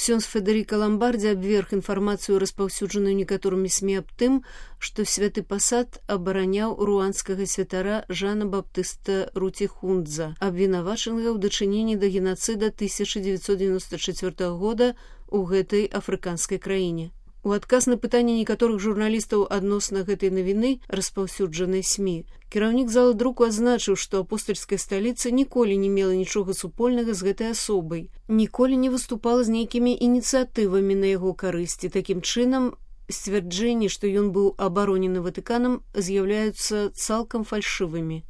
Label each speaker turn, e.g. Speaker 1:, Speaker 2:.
Speaker 1: Ксёндз Федэрыка Ламбардзі абверг інфармацыю, распаўсюджаную некаторымі СМІ аб тым, што святы пасад абараняў руанскага святара Жана Баптыста Руціхундза, абвінавачанага ў дачыненні да генацыда 1994 года ў гэтай афрыканскай краіне. У адказ на пытанне некаторых журналістаў адносна гэтай навіны, распаўсюджанай СМІ, кіраўнік залы друку адзначыў, што апостальская сталіца ніколі не мела нічога супольнага з гэтай асобай, ніколі не выступала з нейкімі ініцыятывамі на яго карысці. Такім чынам, сцвярджэнні, што ён быў абаронены Ватыканам, з'яўляюцца цалкам фальшывымі.